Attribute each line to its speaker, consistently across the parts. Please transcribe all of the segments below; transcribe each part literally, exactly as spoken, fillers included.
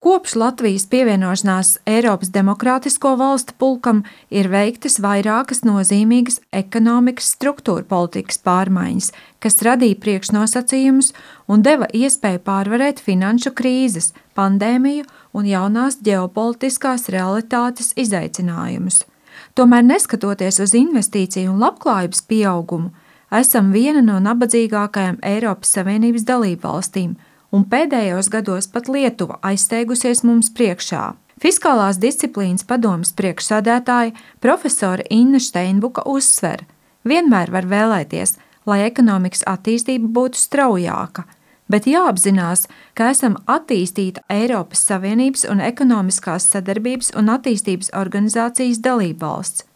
Speaker 1: Kopš Latvijas pievienošanās Eiropas Demokrātisko valstu pulkam ir veiktas vairākas nozīmīgas ekonomikas struktūra politikas pārmaiņas, kas radīja priekšnosacījumus un deva iespēju pārvarēt finanšu krīzes, pandēmiju un jaunās ģeopolitiskās realitātes izaicinājumus. Tomēr, neskatoties uz investīciju un labklājības pieaugumu, esam viena no nabadzīgākajām Eiropas Savienības dalībvalstīm, un pēdējos gados pat Lietuva aizsteigusies mums priekšā. Fiskālās disciplīnas padomes priekšsēdētāja profesore Inna Steinbuka uzsver: vienmēr var vēlēties, lai ekonomikas attīstība būtu straujāka, bet jāapzinās, ka esam attīstīta Eiropas Savienības un ekonomiskās sadarbības un attīstības organizācijas dalībvalsts.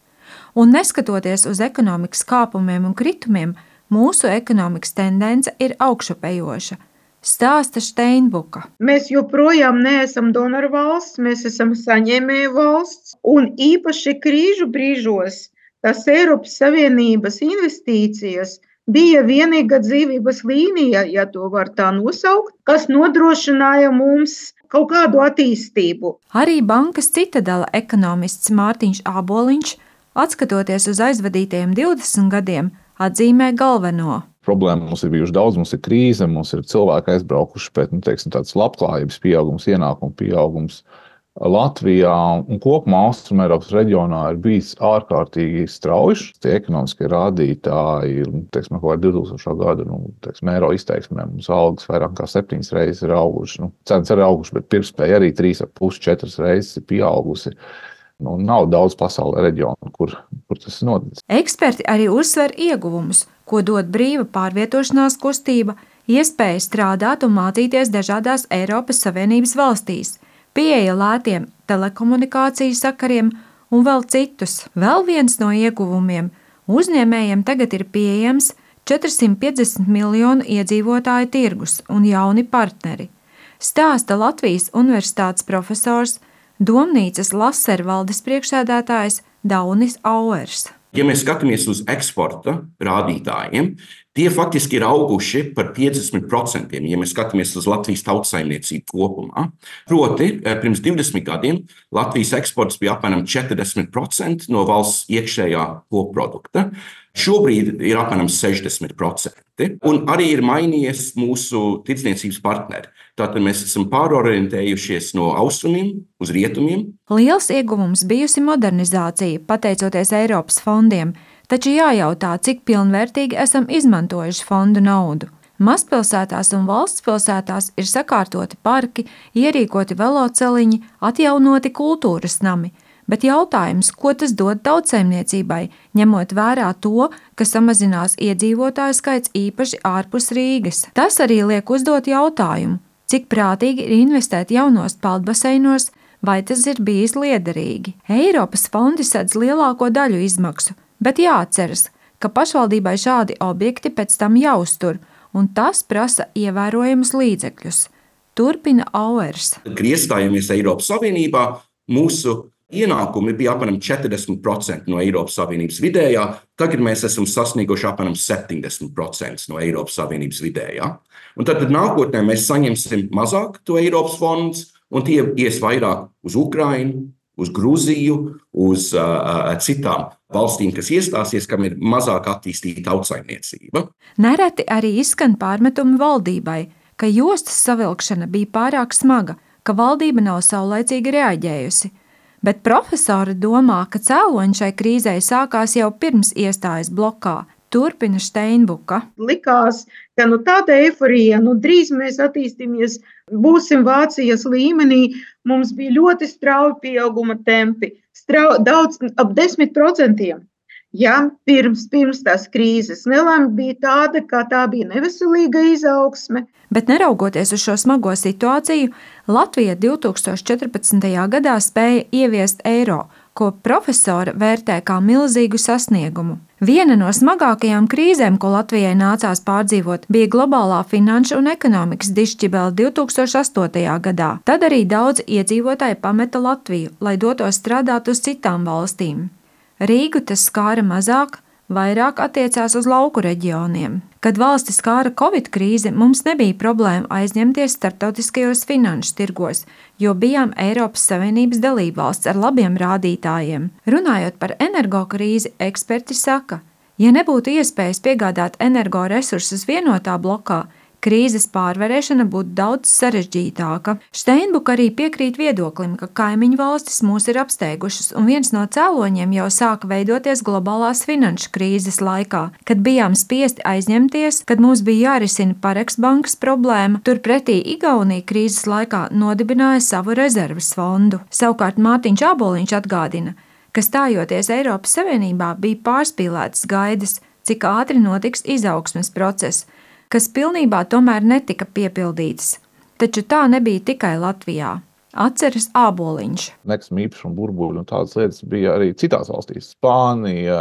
Speaker 1: Un neskatoties uz ekonomikas kāpumiem un kritumiem, mūsu ekonomikas tendence ir augšupejoša. Stāsta Steinbuka.
Speaker 2: Mēs joprojām neesam donoru valsts, mēs esam saņēmēju valsts, un īpaši krīžu brīžos tās Eiropas Savienības investīcijas bija vienīga dzīvības līnija, ja to var tā nosaukt, kas nodrošināja mums kaut kādu attīstību.
Speaker 1: Arī bankas Citadela ekonomists Mārtiņš Āboliņš, atskatoties uz aizvadītajiem divdesmit gadiem, atzīmē galveno.
Speaker 3: Problēma mums ir bijuši daudz, mums ir krīze, mums ir cilvēki aizbraukuši, bet nu, teiksim, tāds labklājības pieaugums, ienākumu pieaugums Latvijā un kopumā Austrum Eiropas reģionā ir bijis ārkārtīgi strauji. Tie ekonomiskie rādītāji ir, teiksim, kaut kā divtūkstošā gada, nu, teiksim, eiro izteiksmē mums algas vairāk kā septiņas reizes ir auguši. Nu, cenas ir auguši, bet pirktspēja arī trīs ar pus četras reizes ir pieaugusi. Nu, nav daudz pasaulē reģionu, kur, kur tas ir noticis.
Speaker 1: Eksperti arī uzsver ieguvumus, ko dod brīva pārvietošanās kustība, iespēja strādāt un mācīties dažādās Eiropas Savienības valstīs, pieeja lētiem telekomunikāciju sakariem un vēl citus. Vēl viens no ieguvumiem – uzņēmējiem tagad ir pieejams četrsimt piecdesmit miljonu iedzīvotāju tirgus un jauni partneri. Stāsta Latvijas Universitātes profesors, Domnīcas Laser valdes priekšsēdētājs Daunis Auers.
Speaker 4: Ja mēs skatāmies uz eksporta rādītājiem, tie faktiski ir auguši par piecdesmit procentiem, ja mēs skatāmies uz Latvijas tautsaimniecību kopumā. Proti, pirms divdesmit gadiem Latvijas eksports bija apmēram četrdesmit procenti no valsts iekšējā koprodukta. Šobrīd ir apmēram sešdesmit procenti, un arī ir mainījies mūsu tirdzniecības partneri. Tātad mēs esam pārorientējušies no austrumiem uz rietumiem.
Speaker 1: Liels ieguvums bijusi modernizācija, pateicoties Eiropas fondiem, taču jājautā, cik pilnvērtīgi esam izmantojuši fondu naudu. Mazpilsētās un valsts pilsētās ir sakārtoti parki, ierīkoti veloceliņi, atjaunoti kultūras nami. Bet jautājums, ko tas dod tautsaimniecībai, ņemot vērā to, ka samazinās iedzīvotāju skaits īpaši ārpus Rīgas. Tas arī liek uzdot jautājumu, cik prātīgi ir investēt jaunos peldbaseinos, vai tas ir bijis liederīgi. Eiropas fondi sedz lielāko daļu izmaksu, bet jāatceras, ka pašvaldībai šādi objekti pēc tam jāuztur, un tas prasa ievērojamus līdzekļus. Turpina Auers.
Speaker 4: Kad iestājāmies Eiropas Savienībā, mūsu ienākumi bija apmēram četrdesmit procenti no Eiropas Savienības vidējā, tagad mēs esam sasnieguši apmēram septiņdesmit procenti no Eiropas Savienības vidējā. Un tad, tad nākotnē mēs saņemsim mazāk to Eiropas fondus, un tie ies vairāk uz Ukrainu, uz Gruziju, uz uh, citām valstīm, kas iestāsies, kam ir mazāk attīstīta tautsaimniecība.
Speaker 1: Nereti arī izskan pārmetumi valdībai, ka jostas savilkšana bija pārāk smaga, ka valdība nav saulaicīgi reaģējusi. Bet profesori domā, ka cēloņi šai krīzei sākās jau pirms iestājas blokā. Turpina Steinbuka.
Speaker 2: Likās, ka nu tāda eiforija, nu drīz mēs attīstīsimies, būsim Vācijas līmenī, mums bija ļoti strauji pieauguma tempi, strau, daudz, ap desmit procentiem. Ja, pirms, pirms tās krīzes nelēma bija tāda, kā tā bija neveselīga izaugsme.
Speaker 1: Bet neraugoties uz šo smago situāciju, Latvija divtūkstoš četrpadsmitajā gadā spēja ieviest eiro, ko profesora vērtē kā milzīgu sasniegumu. Viena no smagākajām krīzēm, ko Latvijai nācās pārdzīvot, bija globālā finanšu un ekonomikas dišķibele divtūkstoš astotajā gadā. Tad arī daudz iedzīvotāji pameta Latviju, lai dotos strādāt uz citām valstīm. Rīgu tas skāra mazāk, vairāk attiecās uz lauku reģioniem. Kad valsti skāra Covid krīze, mums nebija problēma aizņemties starptautiskajos finanšu tirgos, jo bijām Eiropas Savienības dalībvalsts ar labiem rādītājiem. Runājot par energokrīzi, eksperti saka, ja nebūtu iespējas piegādāt energoresursus vienotā blokā, krīzes pārvarēšana būtu daudz sarežģītāka. Steinbuka arī piekrīt viedoklim, ka kaimiņu valstis mūs ir apsteigušas, un viens no cēloņiem jau sāka veidoties globālās finanšu krīzes laikā, kad bijām spiesti aizņemties, kad mums bija jārisina Pareks bankas problēma, turpretī Igaunija krīzes laikā nodibināja savu rezerves fondu. Savukārt Mārtiņš Āboliņš atgādina, ka stājoties Eiropas Savienībā bija pārspīlētas gaidas, cik ātri notiks izaugsmes process, kas pilnībā tomēr netika piepildītas. Taču tā nebija tikai Latvijā. Atceras Āboliņš.
Speaker 3: Nekustamā īpašuma burbuļi un tādas lietas bija arī citās valstīs. Spānija,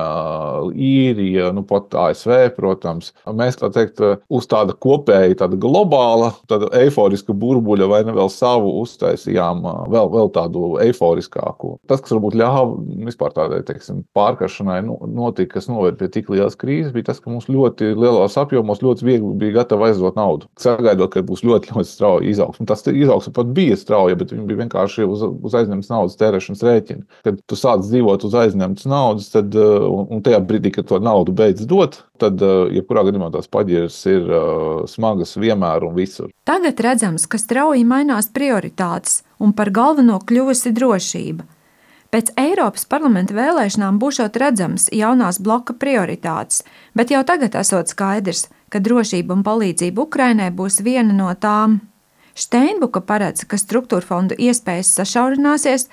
Speaker 3: Īrija, nu pat A S V, protams. Mēs, tā teikt, uz tāda kopēja, tāda globāla, tāda eiforiska burbuļa vai ne vēl savu uztaisījām vēl, vēl tādu eiforiskāku. Tas, kas varbūt ļāva vispār tādai, teiksim, pārkaršanai notika, kas noved pie tik lielas krīzes, bija tas, ka mums ļoti lielos apjomos ļoti viegli bija gatava aizdot naudu. Sagaidot, ka būs ļoti, ļoti strauja izaugsme. Tas izaugsme pat bija strauja, bet bija vienkārši uz, uz aizņemtas naudas tērēšanas rēķina. Kad tu sāc dzīvot uz aizņemtas naudas, tad, un, un tajā brīdī, kad to naudu beidz dot, tad, jebkurā gadījumā tās paģiras ir uh, smagas vienmēr un visur.
Speaker 1: Tagad redzams, ka strauji mainās prioritātes un par galveno kļuvusi drošība. Pēc Eiropas parlamenta vēlēšanām būšot redzams jaunās bloka prioritātes, bet jau tagad esot skaidrs, ka drošība un palīdzība Ukrainai būs viena no tām. Steinbuka paredz, ka struktūra fondu iespējas sašaurināsies,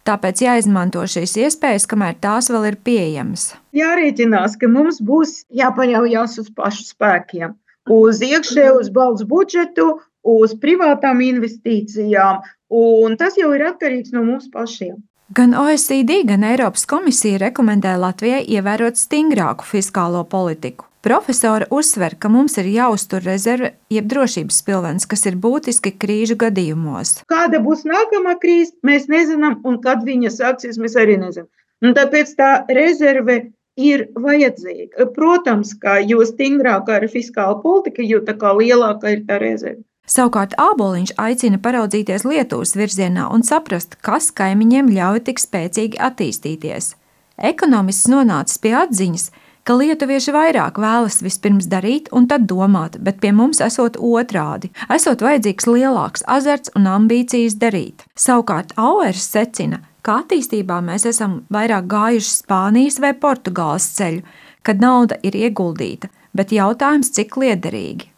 Speaker 1: tāpēc jāizmanto šīs iespējas, kamēr tās vēl ir pieejamas.
Speaker 2: Jārēķinās, ka mums būs jāpaļaujas uz pašu spēkiem, uz iekšēju, uz valsts budžetu, uz privātām investīcijām, un tas jau ir atkarīgs no mums pašiem.
Speaker 1: Gan O E C D, gan Eiropas komisija rekomendē Latvijai ievērot stingrāku fiskālo politiku. Profesora uzsver, ka mums ir jāuztur rezerve jeb drošības pilvens, kas ir būtiski krīžu gadījumos.
Speaker 2: Kāda būs nākamā krīze, mēs nezinām, un kad viņa sāksies, mēs arī nezinām. Un tāpēc tā rezerve ir vajadzīga. Protams, ka jo stingrākā ir fiskāla politika, jo tā kā lielāka ir tā rezerve.
Speaker 1: Savukārt Āboliņš aicina paraudzīties Lietuvas virzienā un saprast, kas kaimiņiem ļauj tik spēcīgi attīstīties. Ekonomists nonācis pie atziņas, ka lietuvieši vairāk vēlas vispirms darīt un tad domāt, bet pie mums esot otrādi, esot vajadzīgs lielāks azarts un ambīcijas darīt. Savukārt Auers secina, ka attīstībā mēs esam vairāk gājuši Spānijas vai Portugāles ceļu, kad nauda ir ieguldīta, bet jautājums, cik liederīgi.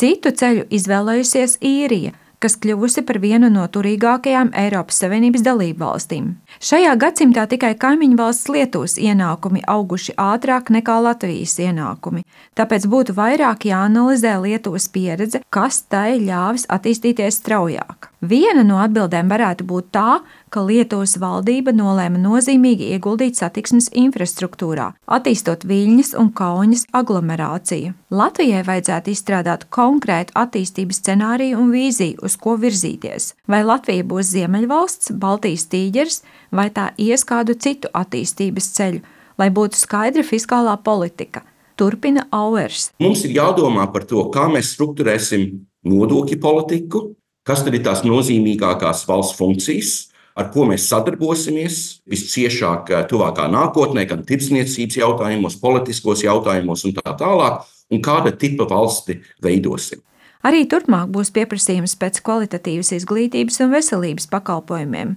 Speaker 1: Citu ceļu izvēlējusies Īrija, kas kļuvusi par vienu no turīgākajām Eiropas Savienības dalībvalstīm. Šajā gadsimtā tikai kaimiņu valsts Lietuvas ienākumi auguši ātrāk nekā Latvijas ienākumi, tāpēc būtu vairāk jāanalizē Lietuvas pieredze, kas tai ļāvis attīstīties straujāk. Viena no atbildēm varētu būt tā, ka Lietuvas valdība nolēma nozīmīgi ieguldīt satiksmes infrastruktūrā, attīstot Viļņas un Kaunas aglomerāciju. Latvijai vajadzētu izstrādāt konkrētu attīstības scenāriju un vīziju, uz ko virzīties. Vai Latvija būs Ziemeļvalsts, Baltijas tīģeris, vai tā ies kādu citu attīstības ceļu, lai būtu skaidra fiskālā politika. Turpina Auers.
Speaker 4: Mums ir jādomā par to, kā mēs strukturēsim nodokļu politiku, kas tad ir tās nozīmīgākās valsts funkcijas, ar ko mēs sadarbosimies visciešāk tuvākā nākotnē, gan tirdzniecības jautājumos, politiskos jautājumos un tā tālāk, un kāda tipa valsti veidosim.
Speaker 1: Arī turpmāk būs pieprasījums pēc kvalitatīvas izglītības un veselības pakalpojumiem,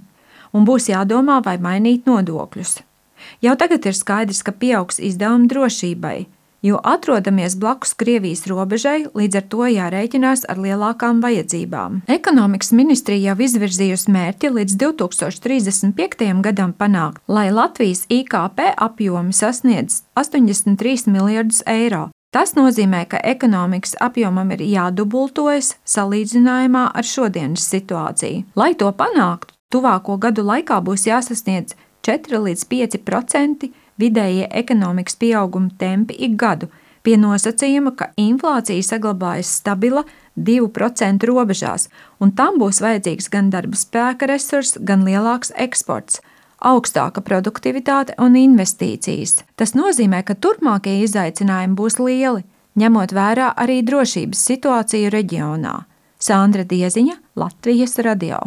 Speaker 1: un būs jādomā, vai mainīt nodokļus. Jau tagad ir skaidrs, ka pieaugs izdevumi drošībai, jo atrodamies blakus Krievijas robežai, līdz ar to jārēķinās ar lielākām vajadzībām. Ekonomikas ministrija jau izvirzījusi mērķi līdz divi tūkstoši trīsdesmit piektajam gadam panākt, lai Latvijas I K P apjomi sasniedz astoņdesmit trīs miljardus eiro. Tas nozīmē, ka ekonomikas apjomam ir jādubultojas salīdzinājumā ar šodienas situāciju. Lai to panāktu, tuvāko gadu laikā būs jāsasniedz četri līdz pieci procenti vidējie ekonomikas pieauguma tempi ik gadu, pie nosacījuma, ka inflācija saglabājas stabila divu procentu robežās, un tam būs vajadzīgs gan darba spēka resurss, gan lielāks eksports. augstāka produktivitāte un investīcijas. Tas nozīmē, ka turpmākie izaicinājumi būs lieli, ņemot vērā arī drošības situāciju reģionā. Sandra Dieziņa, Latvijas radio.